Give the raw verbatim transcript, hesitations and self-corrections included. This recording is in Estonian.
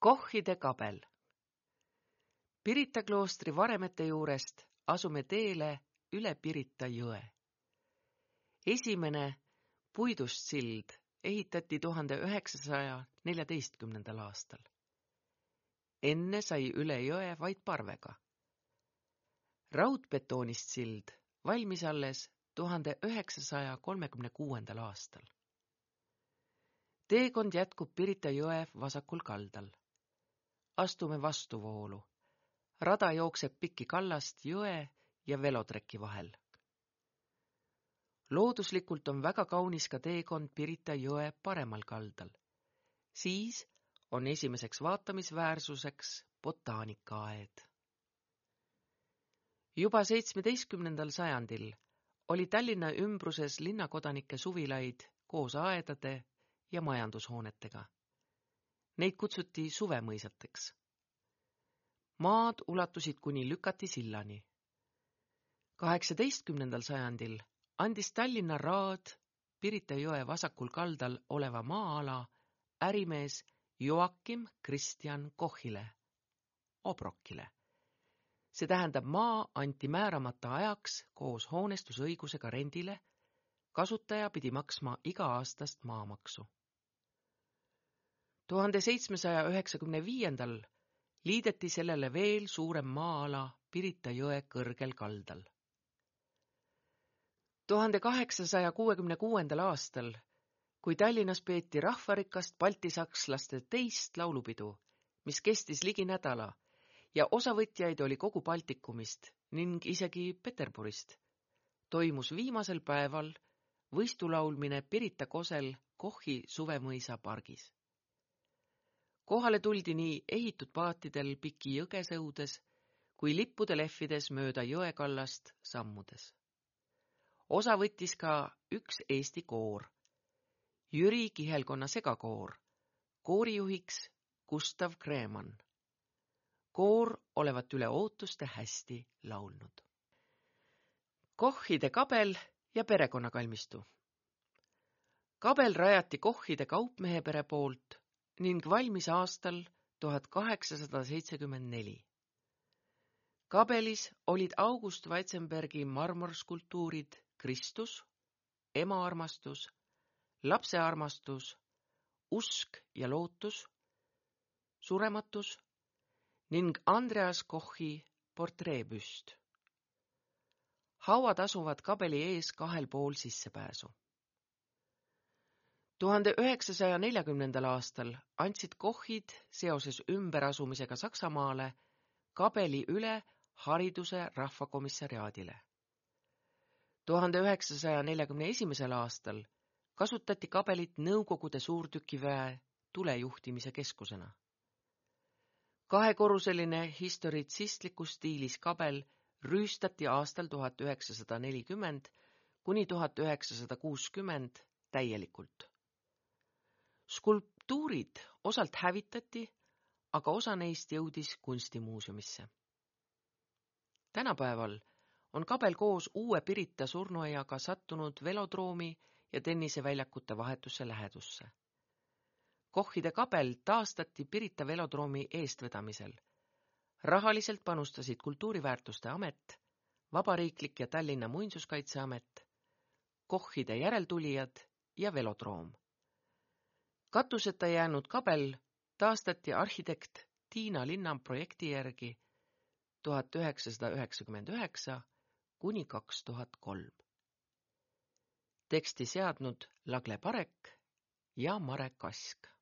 Kochide kabel. Pirita kloostri varemete juurest asume teele üle Pirita jõe. Esimene puidust sild ehitati tuhande üheksasaja neljateistkümnendal aastal. Enne sai üle jõe vaid parvega. Raudbetoonist sild valmis alles tuhande üheksasaja kolmekümne kuuendal aastal. Teekond jätkub Pirita jõe vasakul kaldal. Astume vastuvoolu. Rada jookseb pikki kallast jõe ja velotreki vahel. Looduslikult on väga kaunis ka teekond Pirita jõe paremal kaldal. Siis on esimeseks vaatamisväärsuseks botaanikaaed. Juba seitsmeteistkümnendal sajandil oli Tallinna ümbruses linnakodanike suvilaid koos aedade ja majandushoonetega. Neid kutsuti suvemõisateks. Maad ulatusid kuni Lükati sillani. kaheksateistkümnendal sajandil andis Tallinna raad Pirita jõe vasakul kaldal oleva maa-ala ärimees Joakim Kristjan Kochile, Obrokile. See tähendab, maa anti määramata ajaks koos hoonestusõigusega rendile, kasutaja pidi maksma iga-aastast maamaksu. tuhande seitsmesaja üheksakümne viiendal liideti sellele veel suurem maa-ala Pirita jõe kõrgel kaldal. tuhande kaheksasaja kuuekümne kuuendal aastal, kui Tallinnas peeti rahvarikast baltisakslaste teist laulupidu, mis kestis ligi nädala ja osavõtjaid oli kogu Baltikumist ning isegi Peterburist, toimus viimasel päeval võistulaulmine Pirita kosel Kochi suvemõisa pargis. Kohale tuldi nii ehitud paatidel piki jõgesõudes kui lippude lehvides mööda jõekallast sammudes. Osa võttis ka üks Eesti koor, Jüri Kihelkonna segakoor, koorijuhiks Gustav Kreemann. Koor olevat üle ootuste hästi laulnud. Kochide kabel ja perekonnakalmistu. Kabel rajati Kochide kaupmehepere poolt ning valmis aastal tuhat kaheksasada seitsekümmend neli. Kabelis olid August Weitzenbergi marmorskulptuurid Kristus, ema armastus, lapse armastus, usk ja lootus, surematus ning Andreas Kochi portreepüst. Hauad asuvad kabeli ees kahel pool sissepääsu. tuhande üheksasaja neljakümnendal aastal andsid Kochid seoses ümberasumisega Saksamaale kabeli üle hariduse rahvakomissariaadile. tuhande üheksasaja neljakümne esimesel aastal kasutati kabelit Nõukogude suurtükiväe tulejuhtimise keskusena. Kahekorruseline historitsistlikus stiilis kabel rüüstati aastal tuhat üheksasada nelikümmend kuni tuhat üheksasada kuuskümmend täielikult. Skulptuurid osalt hävitati, aga osa neist jõudis kunstimuuseumisse. Tänapäeval on kabel koos uue Pirita surnuaiaga sattunud velodroomi ja tenniseväljakute vahetusse lähedusse. Kochide kabel taastati Pirita velodroomi eestvedamisel. Rahaliselt panustasid Kultuuriväärtuste Amet, Vabariiklik ja Tallinna Muinsuskaitseamet, Kochide järeltulijad ja velodroom. Katuseta jäänud kabel taastati arhitekt Tiina Linna projekti järgi tuhat üheksasada üheksakümmend üheksa kuni kaks tuhat kolm. Teksti seadnud Lagle Parek ja Mare Kask.